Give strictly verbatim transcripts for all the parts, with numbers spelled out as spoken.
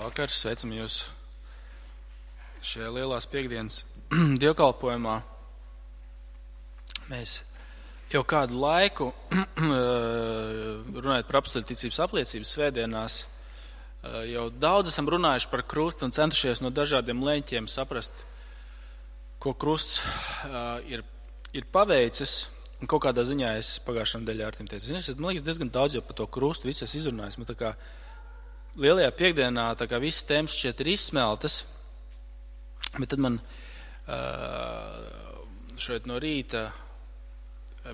Labvakar, sveicam jūs šajā lielās piekdienas dievkalpojumā. Mēs jau kādu laiku, runājot par apostoļu ticības apliecības svētdienās, jau daudz esam runājuši par krustu un centušies no dažādiem leņķiem saprast, ko krusts ir, ir paveicis. Un kaut kādā ziņā es pagājušajā nedēļā ar tiem teicu, zini, es man liekas diezgan daudz jau par to krustu, visu es izrunājis. Man tā kā lielajā piekdienā tā kā visas tēmas šķiet ir izsmeltas, bet tad man šeit no rīta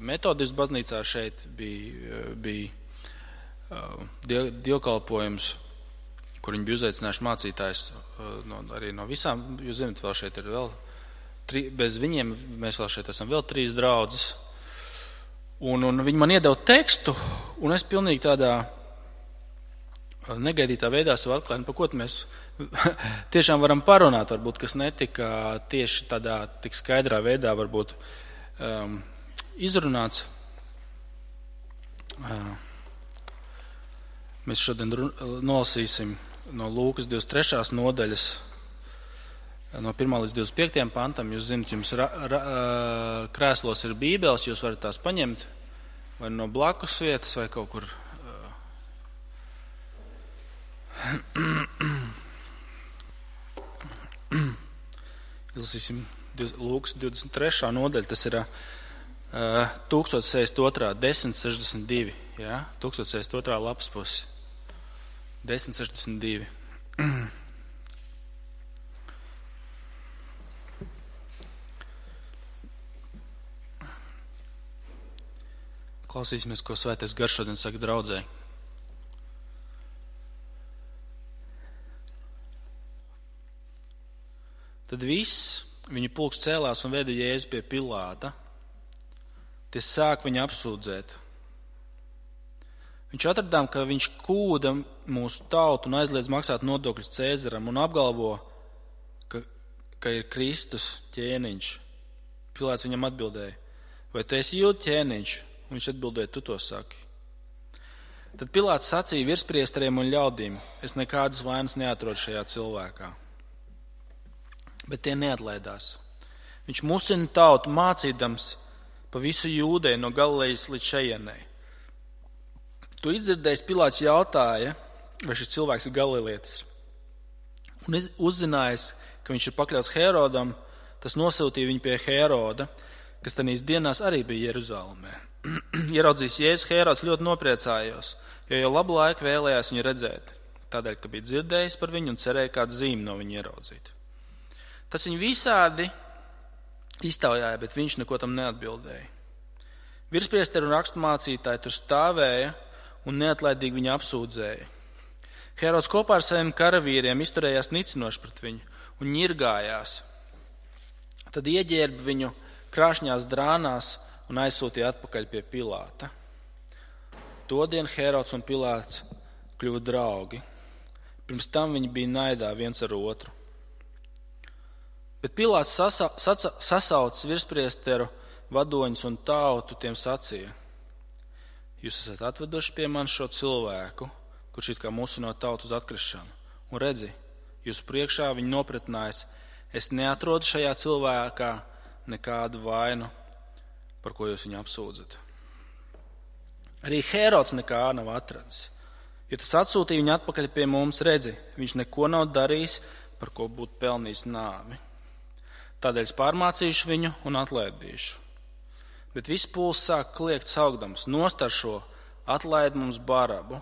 metodistu baznīcā šeit bija, bija dievkalpojums, kur viņi bija uzaicinājuši mācītājus no, arī no visām, jūs zināt, vēl šeit ir vēl, tri, bez viņiem mēs vēl šeit esam vēl trīs draudzes. Un, un viņi man iedeva tekstu, un es pilnīgi tādā negaidītā veidā savu atklājumu, par ko mēs tiešām varam parunāt, varbūt, kas netika tieši tādā tik skaidrā veidā varbūt um, izrunāts. Uh, mēs šodien nolasīsim no Lūkas divdesmit trešās nodaļas, no pirmā līdz divdesmit piektajam pantam. Jūs zināt, jums ra, ra, krēslos ir bībeles, jūs varat tās paņemt vai no blakus vietas vai kaut kur. Izlasīsim Lūkas divdesmit trešā nodaļa, tas ir uh, tūkstoš sešdesmit otrā, desmit sešdesmit divi, ja? tūkstoš sešdesmit otrā lapas pusi, desmit sešdesmit divi. Klausīsimies, ko Svētais Gars šodien saka draudzē. Tad viss viņu pulks cēlās un veda Jēzu pie Pilāta. Tie sāk viņu apsūdzēt. Viņš atradām, ka viņš kūda mūsu tautu un aizliedz maksāt nodokļus Cēzaram un apgalvo, ka, ka ir Kristus ķēniņš. Pilāts viņam atbildēja, vai tu esi Jūdu ķēniņš? Un viņš atbildēja, tu to saki. Tad Pilāts sacīja virspriesteriem un ļaudīm, es nekādas vainas neatrodu šajā cilvēkā. Bet tie neatlaidās. Viņš musina tautu mācīdams pa visu Jūdeju no Galilejas līdz šejienei. To izdzirdējis Pilāts jautāja, vai šis cilvēks ir galilietis. Un uzzinājis, ka viņš ir pakļauts Herodam, tas nosūtīja viņu pie Heroda, kas tanīs dienās arī bija Jeruzalemē. Ieraudzījis Jēzus, Herods ļoti nopriecājos, jo jau labu laiku vēlējās viņu redzēt, tādēļ, ka bija dzirdējis par viņu un cerēja kādu zīmi no viņa ieraudzīt. Tas viņu visādi iztaujāja, bet viņš neko tam neatbildēja. Virspriesteri un raksturmācītāji tur stāvēja un neatlaidīgi viņu apsūdzēja. Herods kopā ar saviem karavīriem izturējās nicinoši pret viņu un ņirgājās. Tad ieģērba viņu krāšņās drānās un aizsūtīja atpakaļ pie Pilāta. Todien Herods un Pilāts kļuva draugi. Pirms tam viņi bija naidā viens ar otru. Bet Pilāts sasa, saca, sasaucis virspriesteru vadoņus un tautu tiem sacīja. Jūs esat atveduši pie man šo cilvēku, kurš it kā musino tautu uz atkrišanu. Un redzi, jūsu priekšā viņi nopratnājas, es neatrodu šajā cilvēkā nekādu vainu, par ko jūs viņu apsūdzat. Arī Herods nekā nav atradis, jo tas atsūtīja viņu atpakaļ pie mums, redzi, viņš neko nav darījis, par ko būtu pelnījis nāvi. Tādēļ es pārmācīšu viņu un atlaidīšu. Bet viss pūls sāk kliegt saukdams, nost ar šo, atlaid mums Barabu.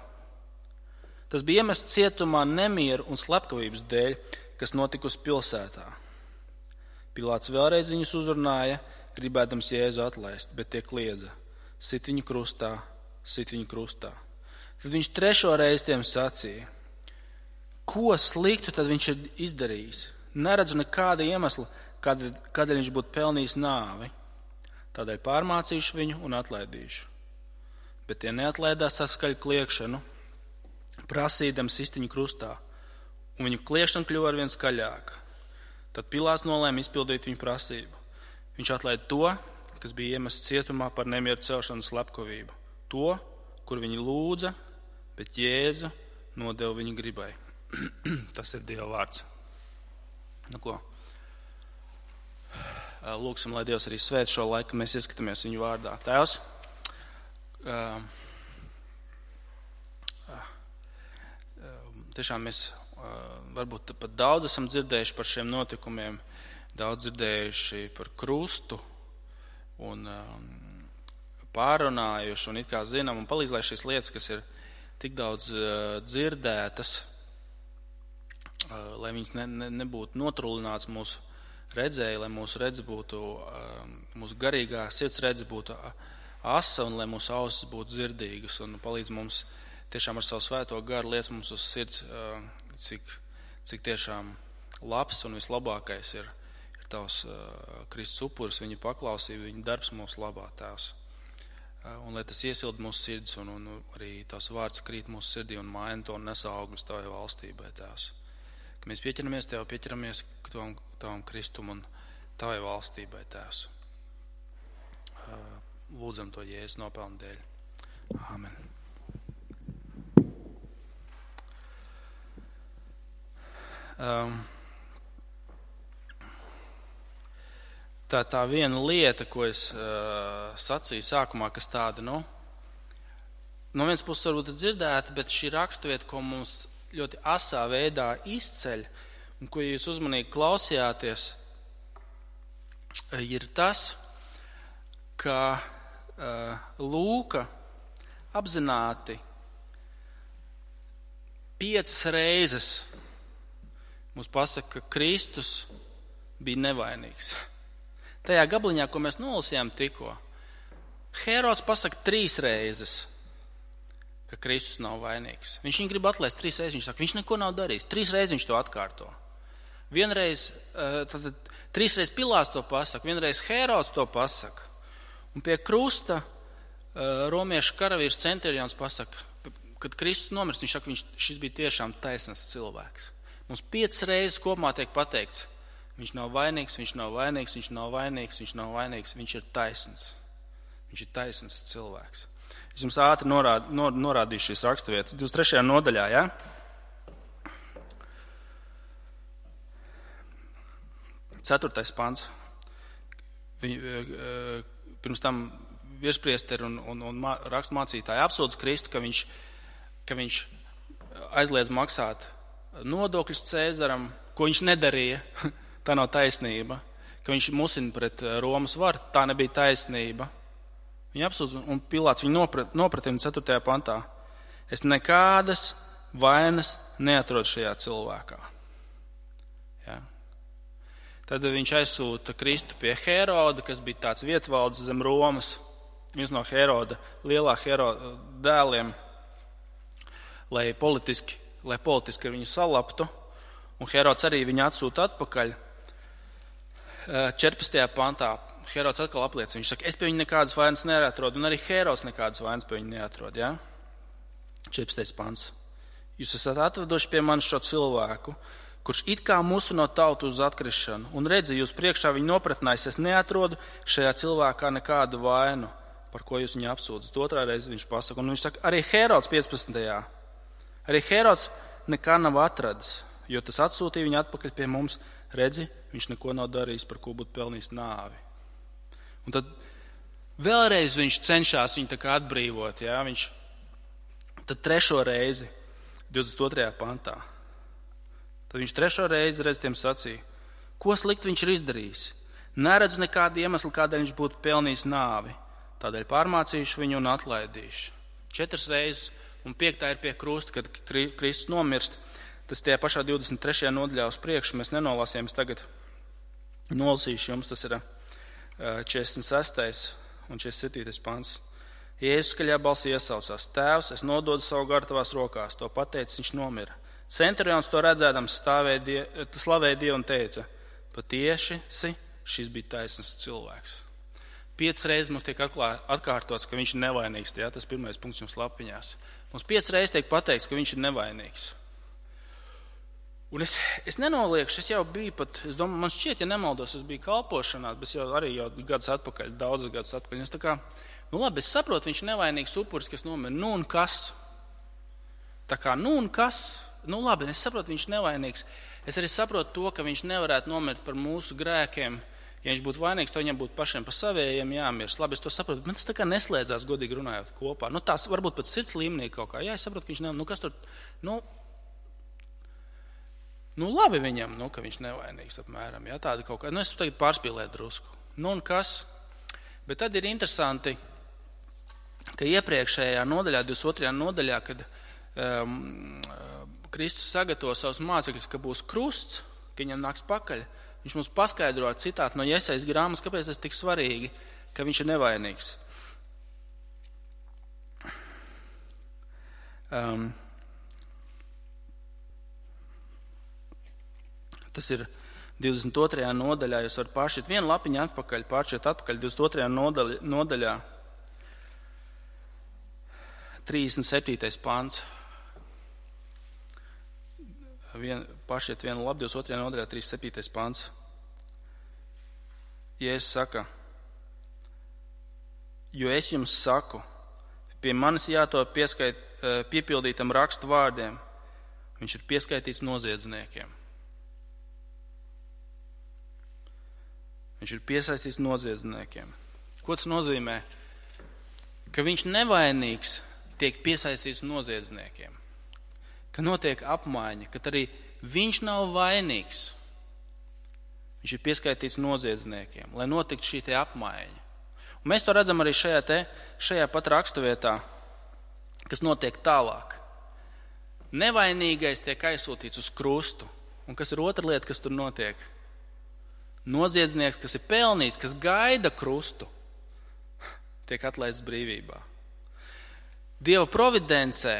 Tas bija iemests cietumā nemieru un slepkavības dēļ, kas notikusi pilsētā. Pilāts vēlreiz viņus uzrunāja, gribēdams Jēzu atlaist, bet tie kliedza, sit viņu krustā, sit viņu krustā. Tad viņš trešo reizi tiem sacīja, ko sliktu tad viņš ir izdarījis? Neredzu nekāda iemesla, kādēļ, kādēļ viņš būtu pelnījis nāvi. Tādēļ pārmācīšu viņu un atlaidīšu. Bet tie neatlaidās ar skaļu kliekšanu, prasīdams sist viņu krustā, un viņu kliekšana kļuva arvien skaļāka. Tad Pilāts nolēma izpildīt viņu prasību. Viņš atlaida to, kas bija iemests cietumā par nemieru celšanu slepkavību. To, kur viņi lūdza, bet Jēzu nodeva viņa gribai. Tas ir Dieva vārds. Nu ko? Lūksim, lai Dievs arī svēt šo laiku, mēs ieskatāmies viņu vārdā. Tēvs, uh, uh, tiešām mēs uh, varbūt pat daudz esam dzirdējuši par šiem notikumiem, daudz dzirdējuši par krustu un um, pārunājuši un it kā zinām un palīdz, lai šīs lietas, kas ir tik daudz uh, dzirdētas, uh, lai viņas ne, ne, nebūtu notrulināts mūsu redzēja, lai mūsu redze būtu, mūsu garīgā sirds redze būtu asa un lai mūsu ausis būtu dzirdīgas un palīdz mums tiešām ar savu svēto garu liec mums uz sirds, cik, cik tiešām labs un vislabākais ir, ir tavs Kristus upuris, viņa paklausība, viņa darbs mūsu labā, Tēvs. Un lai tas iesilda mūsu sirds un, un arī tavs vārds krīt mūsu sirdī un maina to un nes augļus tavai valstībai, Tēvs. Ka mēs pieķeramies Tev, pieķeramies tavam, tavam Kristum un Tavai valstībai, Tēvs. Lūdzam to Jēzus nopelnu dēļ. Āmen. Um, tā, tā viena lieta, ko es uh, sacīju sākumā, kas tāda, nu, no vienas puses varbūt dzirdēta, bet šī raksturvieta, ko mums ļoti asā veidā izceļ, un ko jūs uzmanīgi klausījāties, ir tas, ka uh, Lūka apzināti piecas reizes mums pasaka, ka Kristus bija nevainīgs. Tajā gabaliņā, ko mēs nolasījām tikko, Herods pasaka trīs reizes, ka Kristus nav vainīgs. Viņš viņu grib atlaist trīs reizes, viņš saka, viņš neko nav darījis. Trīs reizes viņš to atkārto. Vienreiz, tad, trīs reizes Pilāts to pasaka, vienreiz Herods to pasaka. Un pie krusta romiešu karavīrs Centurions pasaka, kad Kristus nomirst, viņš saka, viņš, šis bija tiešām taisnīgs cilvēks. Mums piecas reizes kopumā tiek pateikts, viņš nav vainīgs, viņš nav vainīgs, viņš nav vainīgs, viņš nav vainīgs, viņš ir taisns. Viņš ir taisns cilvēks. Es jums ātri norād, nor, norādīšu šīs raksturvietas. divdesmit trešajā nodaļā, ja? Ceturtais pants. Pirms tam virspriesteri un, un, un rakstmācītāji apsūdz Kristu, ka viņš, ka viņš aizliedz maksāt nodokļus Cēzaram, ko viņš nedarīja. Tā nav taisnība. Ka viņš musina pret Romas varu, tā nebija taisnība. Viņa apsūdz, un Pilāts viņu noprat, nopratina ceturtajā pantā. Es nekādas vainas neatrodu šajā cilvēkā. Ja? Tad viņš aizsūta Kristu pie Heroda, kas bija tāds vietvaldes zem Romas, viens no Heroda, lielā Heroda dēliem, lai politiski, lai politiski ar viņu salaptu. Un Herods arī viņu atsūta atpakaļ. četrpadsmitajā pantā. Herods atkal apliecina, viņš saka, es pie viņa nekādas vainas neatrodu, un arī Herods nekādas vainas pie viņa neatrod, ja? četrpadsmitais pants. Jūs esat atveduši pie manis šo cilvēku, kurš it kā musu no tautu uz atkrišanu, un redzi, jūs priekšā viņu nopratnājis, es neatrodu šajā cilvēkā nekādu vainu, par ko jūs viņu apsūdzat. Otrā reize viņš pasaka, un viņš saka, arī Herods piecpadsmitajā. Arī Herods nekā nav atradis, jo tas atsūtīja viņu atpakaļ pie mums, redzi, viņš neko nav darījis, par ko būtu pelnījis nāvi. Un tad vēlreiz viņš cenšas viņu tā kā atbrīvot, ja? Viņš tad trešo reizi, divdesmit otrajā pantā. Tad viņš trešo reizi reiz tiem sacīja, ko slikt viņš ir izdarījis. Neredz nekādu iemeslu, kādēļ viņš būtu pelnījis nāvi. Tādēļ pārmācīšu viņu un atlaidīšu. Četras reizes, un piektā ir pie krusta, kad Kristus nomirst. Tas tie pašā divdesmit trešajā nodaļā uz priekšu, mēs nenolasījām, es tagad nolasīšu jums, tas ir četrdesmit sestais un četrdesmit septītais pants. Jēzus skaļā balsī iesaucās, Tēvs, es nododu savu garu tavās rokās, to pateicis, viņš nomira. Centurions to redzēdams die, slavēja Dievu un teica, patieši šis bija taisnīgs cilvēks. Piecas reizes mums tiek atkārtots, ka viņš ir nevainīgs, ja? Tas pirmais punkts jums lapiņās. Mums piecas reizes tiek pateikts, ka viņš ir nevainīgs. Un es, es nenoliekšu, es jau biju pat, es domāju, man šķiet, ja nemaldos, es biju kalpošanās, bet jau arī jau gadus atpakaļ, daudzus gadus atpakaļ. Es tā kā, nu labi, es saprotu, viņš ir nevainīgs upuris, kas nomira, nu un kas? Tā kā, nu un kas? nu labi, es saprotu, viņš nevainīgs. Es arī saprotu to, ka viņš nevarētu nomirt par mūsu grēkiem. Ja viņš būtu vainīgs, tad viņam būtu pašiem par savējiem jāmirst. Labi, es to saprotu, bet man tas tā kā neslēdzās godīgi runājot kopā. Nu, tās varbūt pat sirds līmenī kaut kā. Jā, es saprotu, ka viņš nevainīgs. Nu, kas tur, nu, nu labi viņam, nu, ka viņš nevainīgs apmēram. Jā, tāda kaut kā. Nu, es tagad pārspīlēju drusku. Nu, un kas? Bet tad ir interesanti, ka iepriekšējā nodaļā, divdesmit otrajā nodaļā, kad um, Kristus sagatavo savus mācekļus, ka būs krusts, ka viņam nāks pakaļ, viņš mums paskaidro ar citātu no Jesajas grāmatas, kāpēc tas tik svarīgi, ka viņš ir nevainīgs. Um, tas ir divdesmit otrajā nodaļā, jūs varat pāršķiet vienu lapiņu atpakaļ, pāršķiet atpakaļ divdesmit otrajā nodaļā, nodaļā trīsdesmit septītais pants. Vien, pašiet vienu labi, divdesmit otrajā nodaļā, trīsdesmit septītais pants. Jēzus saka, jo es jums saku, pie manis jātop pieskait, piepildītam rakstu vārdiem, viņš ir pieskaitīts noziedzniekiem. Viņš ir piesaistīts noziedzniekiem. Ko tas nozīmē? Ka viņš nevainīgs tiek piesaistīts noziedzniekiem. Ka notiek apmaiņa, ka arī viņš nav vainīgs. Viņš ir pieskaitīts noziedzniekiem, lai notiktu šī te apmaiņa. Un mēs to redzam arī šajā, te, šajā pat raksturvietā, kas notiek tālāk. Nevainīgais tiek aizsūtīts uz krustu. Un kas ir otra lieta, kas tur notiek? Noziedznieks, kas ir pelnījis, kas gaida krustu, tiek atlaists brīvībā. Dieva providencē,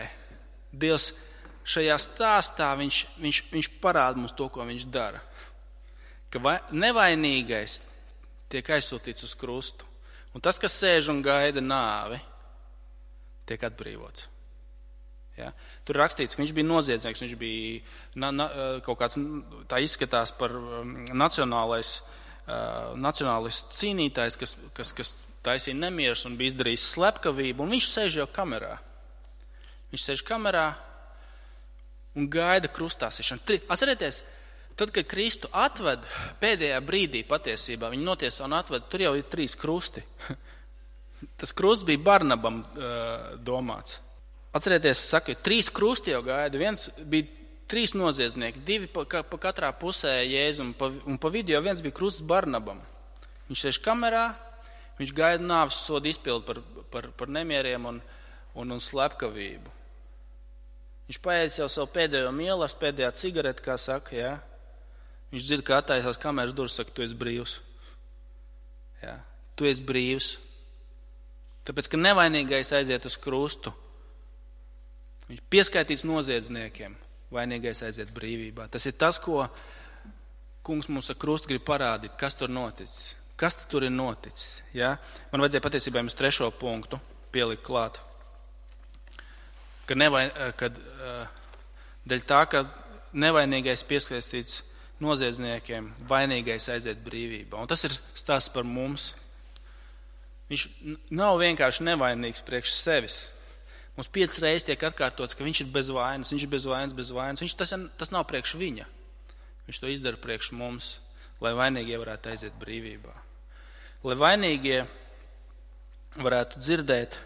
Dievs šajā stāstā viņš, viņš, viņš parāda mums to, ko viņš dara. Ka vai, nevainīgais tiek aizsūtīts uz krustu. Un tas, kas sēž un gaida nāvi, tiek atbrīvots. Ja? Tur rakstīts, ka viņš bija noziedznieks, viņš bija na, na, kaut kāds, tā izskatās par nacionālais, uh, nacionālistu cīnītājs, kas, kas, kas taisīja nemieris un bija izdarījis slepkavību, un viņš sēž jau kamerā. Viņš sēž kamerā un gaida krustāsišanu. Atcerieties, tad, kad Kristu atved pēdējā brīdī patiesībā, viņi notiesā un atved, tur jau ir trīs krusti. Tas krusts bija Barnabam uh, domāts. Atcerieties, es saku, trīs krusti jau gaida, viens bija trīs noziedznieki, divi pa, pa katrā pusē Jēzu, un pa, un pa vidu jau viens bija krusts Barnabam. Viņš sēž kamerā, viņš gaida nāves sodu izpildu par, par, par nemieriem un, un, un slepkavību. Viņš paēdis jau savu pēdējo mielastu, pēdējā cigareti, kā saka, jā. Viņš dzird, ka attaisās kameras durvis, saka, tu esi brīvs. Jā, tu esi brīvs. Tāpēc, ka nevainīgais aiziet uz krustu. Viņš pieskaitīts noziedzniekiem, vainīgais aiziet brīvībā. Tas ir tas, ko kungs mums ar krustu grib parādīt, kas tur noticis. Kas tur ir noticis? Ja? Man vajadzēja patiesībā jums trešo punktu pielikt klāt. Kad, nevain, kad dēļ tā, ka nevainīgais pieskaistīts noziedzniekiem, vainīgais aiziet brīvībā. Un tas ir stāsts par mums. Viņš nav vienkārši nevainīgs priekš sevis. Mums piecas reizes tiek atkārtots, ka viņš ir bez vainas, viņš ir bez vainas, bez vainas. Viņš, tas, tas nav priekš viņa. Viņš to izdara priekš mums, lai vainīgie varētu aiziet brīvībā. Lai vainīgie varētu dzirdēt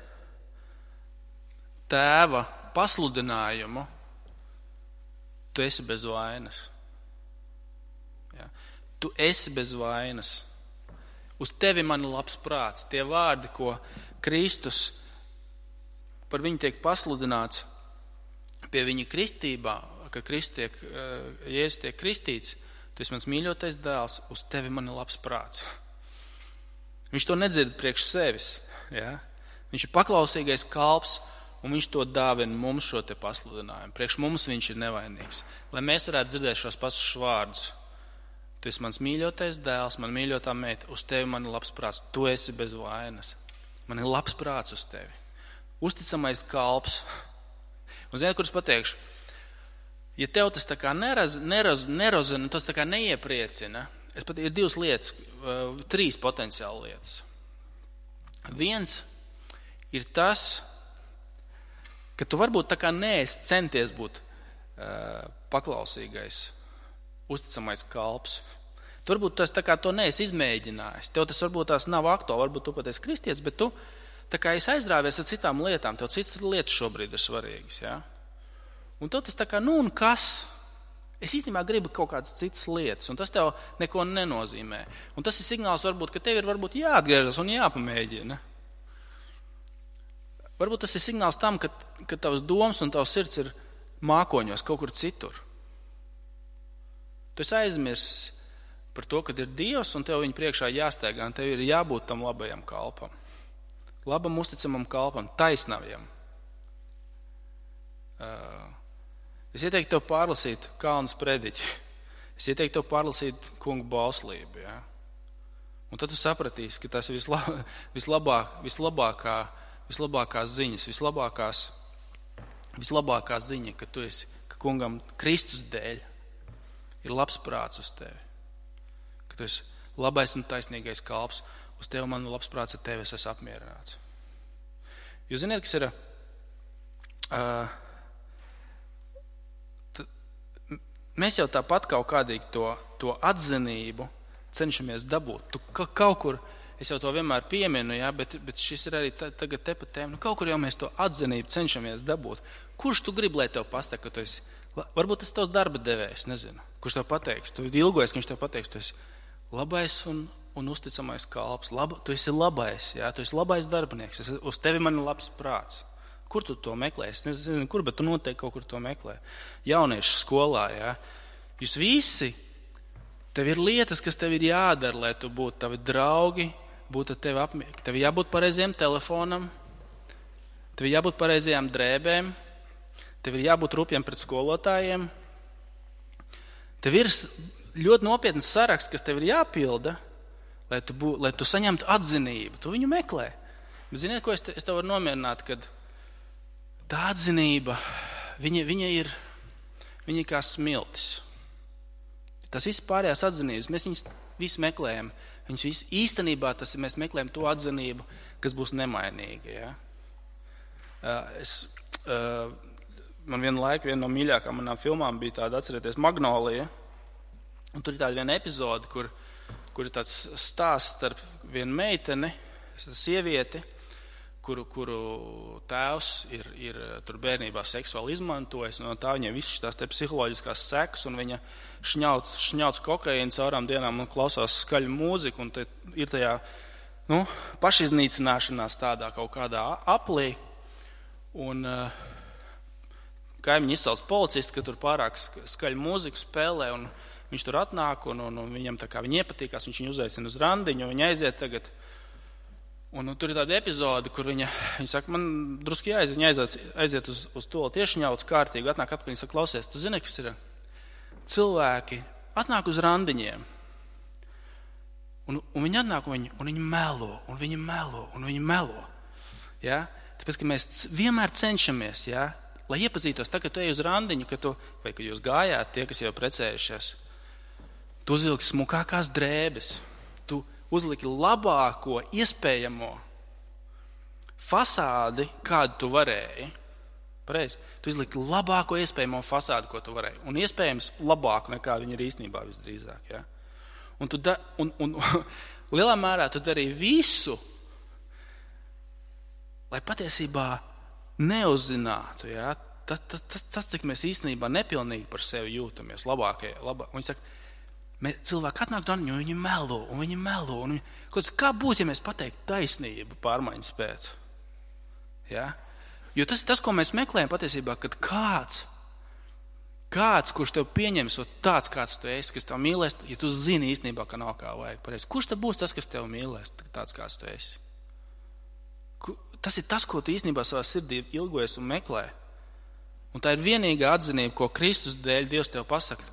tēva pasludinājumu, tu esi bez vainas. Ja. Tu esi bez vainas. Uz tevi man ir labs prāts. Tie vārdi, ko Kristus par viņu tiek pasludināts pie viņa kristībā, ka Kristus tiek, Jēzus tiek kristīts, tu esi mans mīļotais dēls, uz tevi man ir labs prāts. Viņš to nedzird priekš sevis. Ja? Viņš ir paklausīgais kalps, un viņš to dāvina mums šo te pasludinājumu. Priekš mums viņš ir nevainīgs. Lai mēs varētu dzirdēt šos pašus vārdus. Tu esi mans mīļotais dēls, man mīļotā meita, uz tevi man ir labs prāts. Tu esi bez vainas. Man ir labs prāts uz tevi. Uzticamais kalps. Un zini, kurus pateikšu? Ja tev tas tā kā neraz, neraz, nerozina, tas tā kā neiepriecina, es pat ir divas lietas, trīs potenciāli lietas. Viens ir tas, ka tu varbūt tā kā neesi centies būt paklausīgais, uzticamais kalps. Tu varbūt tas tā kā to neesi izmēģinājis. Tev tas varbūt tās nav aktuāli, varbūt tu pat esi kristietis, bet tu tā kā esi aizrāvies ar citām lietām. Tev citas lietas šobrīd ir svarīgas. Ja? Un tev tas tā kā, nu un kas? Es īstenībā gribu kaut kādas citas lietas, un tas tev neko nenozīmē. Un tas ir signāls varbūt, ka tev ir varbūt jāatgriežas un jāpamēģina. Varbūt tas ir signāls tam, ka, ka tavs domas un tavs sirds ir mākoņos kaut kur citur. Tu esi aizmirsis par to, kad ir Dievs, un tev viņa priekšā jāsteigā, un tev ir jābūt tam labajam kalpam. Labam, uzticamam kalpam, taisnavajam. Es ieteiktu tev pārlasīt Kalnas prediķi. Es ieteiktu tev pārlasīt kungu bauslību. Ja? Un tad tu sapratīsi, ka tas ir visla, vislabāk, vislabākā, vislabākās ziņas, vislabākās, vislabākā ziņa, ka tu esi, ka kungam Kristus dēļ ir labs prāts uz tevi. Ka tu esi labais un taisnīgais kalps, uz tevi man labs prāts, ar tevi es esmu apmierināts. Jūs ziniet, kas ir, uh, t, mēs jau tāpat kaut kādīgi to, to atzinību cenšamies dabūt. Tu ka, kaut kur, es jau to vienmēr pieminu, ja, bet, bet šis ir arī ta, tagad te pat tēma, nu kaut kur jau mēs to atzinību cenšamies dabūt. Kurš tu gribi, lai tev pasaka, ka tu esi, varbūt tas tavs darba devējs, nezinu, kurš tev pateiks, tu ilgojies, ka viņš tev pateiks, tu esi labais un, un uzticamais kalps. Laba, tu esi labais, jā, tu esi labais darbinieks. Es, uz tevi man ir labs prāts. Kur tu to meklē? Es nezinu, kur, bet tu noteikti kaut kur to meklē. Jauniešu skolā, jā. Jūs visi, tev ir lietas, kas tev ir jādara, lai tu būtu tavi draugi, būtu tevi apmierināti. Tev jābūt pareizajam telefonam, tev jābūt pareizajām drēbēm, tev ir jābūt rupjiem pret skolotājiem. Tev ir ļoti nopietns saraksts, kas tev ir jāpilda, lai tu, bū, lai tu saņemtu atzinību. Tu viņu meklē. Bet ziniet, ko es, te, es tev varu nomierināt, kad tā atzinība, viņa, viņa ir viņa ir kā smiltis. Tas viss pārējās atzinības, mēs viņus visu meklējam. Viņus visu, īstenībā tas ir, mēs meklējam to atzinību, kas būs nemainīga. Ja? Es, man vienu laiku, viena no mīļākām manām filmām bija tāda, atcerieties, Magnolija. Un tur ir tāda viena epizode, kur, kur ir tāds stāsts starp vienu meiteni, sievieti, kuru, kuru tēvs ir, ir tur bērnībā seksuāli izmantojis, un no tā viņai visas tās te psiholoģiskās sekas, un viņa šņauc, šņauc kokaīnu caurām dienām un klausās skaļu mūziku, un te ir tajā, nu, pašiznīcināšanās tādā kaut kādā aplī, un uh, kaimiņi izsauc policistu, ka tur pārāk skaļu mūziku spēlē, un viņš tur atnāk, un, un, un viņam tā kā viņi iepatīkās, viņš viņu uzaicina uz randiņu, un viņa aiziet tagad. Un, un tur ir tāda epizode, kur viņa, viņa saka, man druski jāaiziet, viņa aiziet, aiziet uz, uz to tiešņauts kārtīgi, atnāk atpakaļ, viņa saka, klausies, tu zini, kas ir cilvēki, atnāk uz randiņiem, un, un viņi atnāk, un viņi, un viņi melo, un viņi melo, un viņi melo. Ja? Tāpēc, ka mēs vienmēr cenšamies, ja? Lai iepazītos, tā, ka tu ej uz randiņu, ka tu, vai ka jūs gājāt, tie, kas jau precējušies, tu uzvilki smukākās drēbes, tu uzliki labāko iespējamo fasādi, kādu tu varēji. Pareizi? Tu uzliki labāko iespējamo fasādi, ko tu varēji. Un iespējams labāku nekā viņi ir īstenībā visdrīzāk. Ja? Un, tu da, un, un lielā mērā tu darīji visu, lai patiesībā neuzzinātu. Ja? Tas, tas, tas, tas, cik mēs īstenībā nepilnīgi par sevi jūtamies labākie. Labā. Viņi saka, Mē, cilvēki atnāk to, jo viņi melo, un viņi melo. Un viņi, kā būtu, ja mēs pateiktu taisnību pārmaiņas pēc? Ja? Jo tas ir tas, ko mēs meklējam patiesībā, kad kāds, kāds, kurš tev pieņems tāds, kāds tu esi, kas tev mīlēs, ja tu zini īstenībā, ka nav kā vajag pareizi. Kurš tad būs tas, kas tev mīlēs, tāds, kāds tu esi? Tas ir tas, ko tu īstenībā savā sirdī ilgojies un meklē. Un tā ir vienīgā atzinība, ko Kristus dēļ Dievs tev pasaka.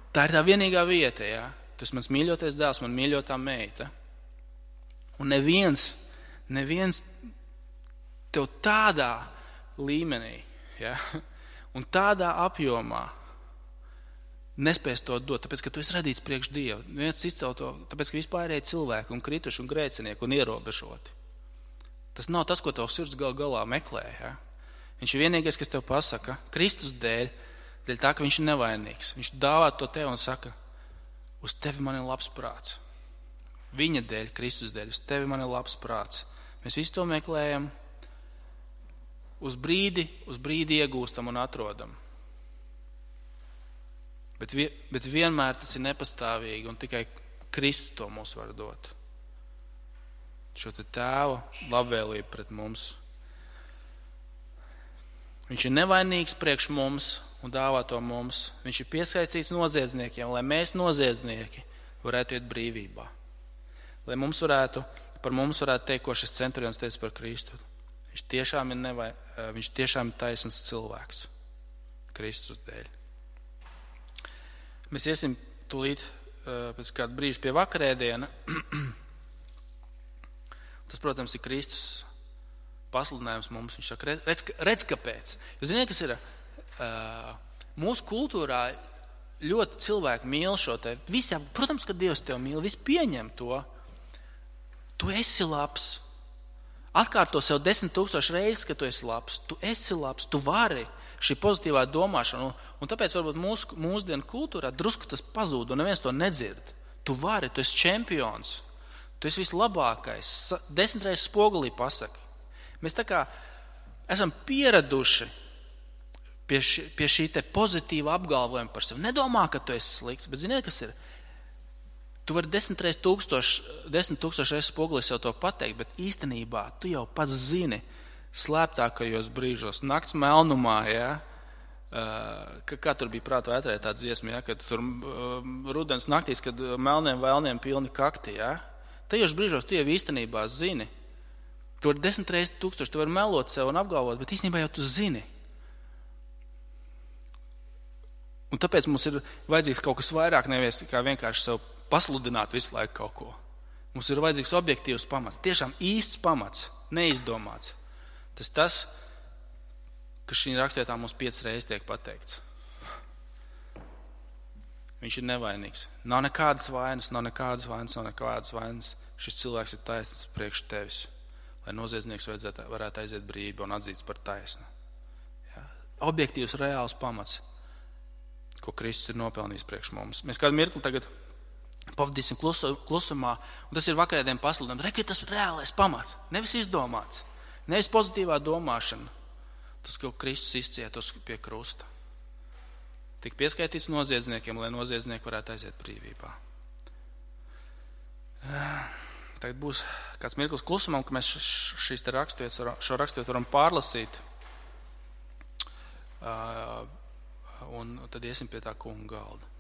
Tā ir tā vienīgā vieta, ja? Tas mans mīļotais dēls, man mīļotā meita. Un neviens, neviens tev tādā līmenī, ja? Un tādā apjomā nespēs to dot, tāpēc, ka tu esi radīts priekš Dievu. Neviens izcel to, tāpēc, ka vispārēji cilvēki un krituši un grēcinieki un ierobežoti. Tas nav tas, ko tavs sirds gal galā meklē, ja? Viņš ir vienīgais, kas tev pasaka, Kristus dēļ, dēļ tā, ka viņš ir nevainīgs. Viņš dāvā to tev un saka, uz tevi man ir labs prāts. Viņa dēļ, Kristus dēļ, uz tevi man ir labs prāts. Mēs visu to meklējam, uz brīdi, uz brīdi iegūstam un atrodam. Bet, vi, bet vienmēr tas ir nepastāvīgi un tikai Kristus to mums var dot. Šo te tēva labvēlību pret mums. Viņš ir nevainīgs priekš mums un dāvā to mums. Viņš ir piesaistīts noziedzniekiem, lai mēs noziedznieki varētu iet brīvībā. Lai mums varētu, par mums varētu teikt, ko šis centurions teica par Kristu. Viņš tiešām ir, nevai, viņš tiešām ir taisns cilvēks Kristus dēļ. Mēs iesim tūlīt pēc kāda brīža pie vakarēdiena. Tas, protams, ir Kristus pasludinājums mums. Viņš saka, redz, redz kāpēc. Jūs ziniet, kas ir? Mūsu kultūrā ļoti cilvēki mīl šo te. Visi, protams, ka Dievs tev mīl, visi pieņem to. Tu esi labs. Atkārto sev desmit tūkstoši reizes, ka tu esi labs. Tu esi labs, tu vari. Šī pozitīvā domāšana. Un, un tāpēc varbūt mūsu, mūsdienu kultūrā drusku tas pazūd un neviens to nedzird. Tu vari, tu esi čempions. Tu esi vislabākais. Desmit reizes spogulī pasaki. Mēs tā kā esam pieraduši pie šī, pie šī te pozitīva apgalvojuma par sevi. Nedomā, ka tu esi slikts, bet ziniet, kas ir? Tu vari desmit reizes tūkstoši, desmit tūkstoši reizes spogulī sev to pateikt, bet īstenībā tu jau pats zini slēptākajos brīžos, nakts melnumā, ja? Uh, kā, kā tur bija prāta vētrē tā dziesma, ja? Kad tur uh, rudens naktīs, kad melniem vēlniem pilni kakti, ja? Tajos brīžos tu jau īstenībā zini. Tu vari desmit reizes tūkstoši, tu vari melot sev un apgalvot, bet īstenībā jau tu zini. Un tāpēc mums ir vajadzīgs kaut kas vairāk, nevis kā vienkārši sev pasludināt visu laiku kaut ko. Mums ir vajadzīgs objektīvs pamats, tiešām īsts pamats, neizdomāts. Tas tas, ka šī rakstvietā mums piecas reizes tiek pateikts. Viņš ir nevainīgs. Nav nekādas vainas, nav nekādas vainas, nav nekādas vainas. Šis cilvēks ir taisns priekš tevis, lai noziedznieks varētu aiziet brīvi un atzīts par taisnu. Jā. Objektīvs, reāls pamats, ko Kristus ir nopelnījis priekš mums. Mēs kādu mirkli tagad pavadīsim klusumā, un tas ir vakarēdien pasludinājums. Reki, tas ir reālais pamats, nevis izdomāts. Nevis pozitīvā domāšana, tas, ko Kristus izcietos pie krusta. Tik pieskaitīts noziedzniekiem, lai noziedznieki varētu aiziet brīvībā. Tagad būs kāds mirklis klusumam, ka mēs šīs te rakstvietas, šo rakstvietu varam pārlasīt. Un tad iesim pie tā kunga galda.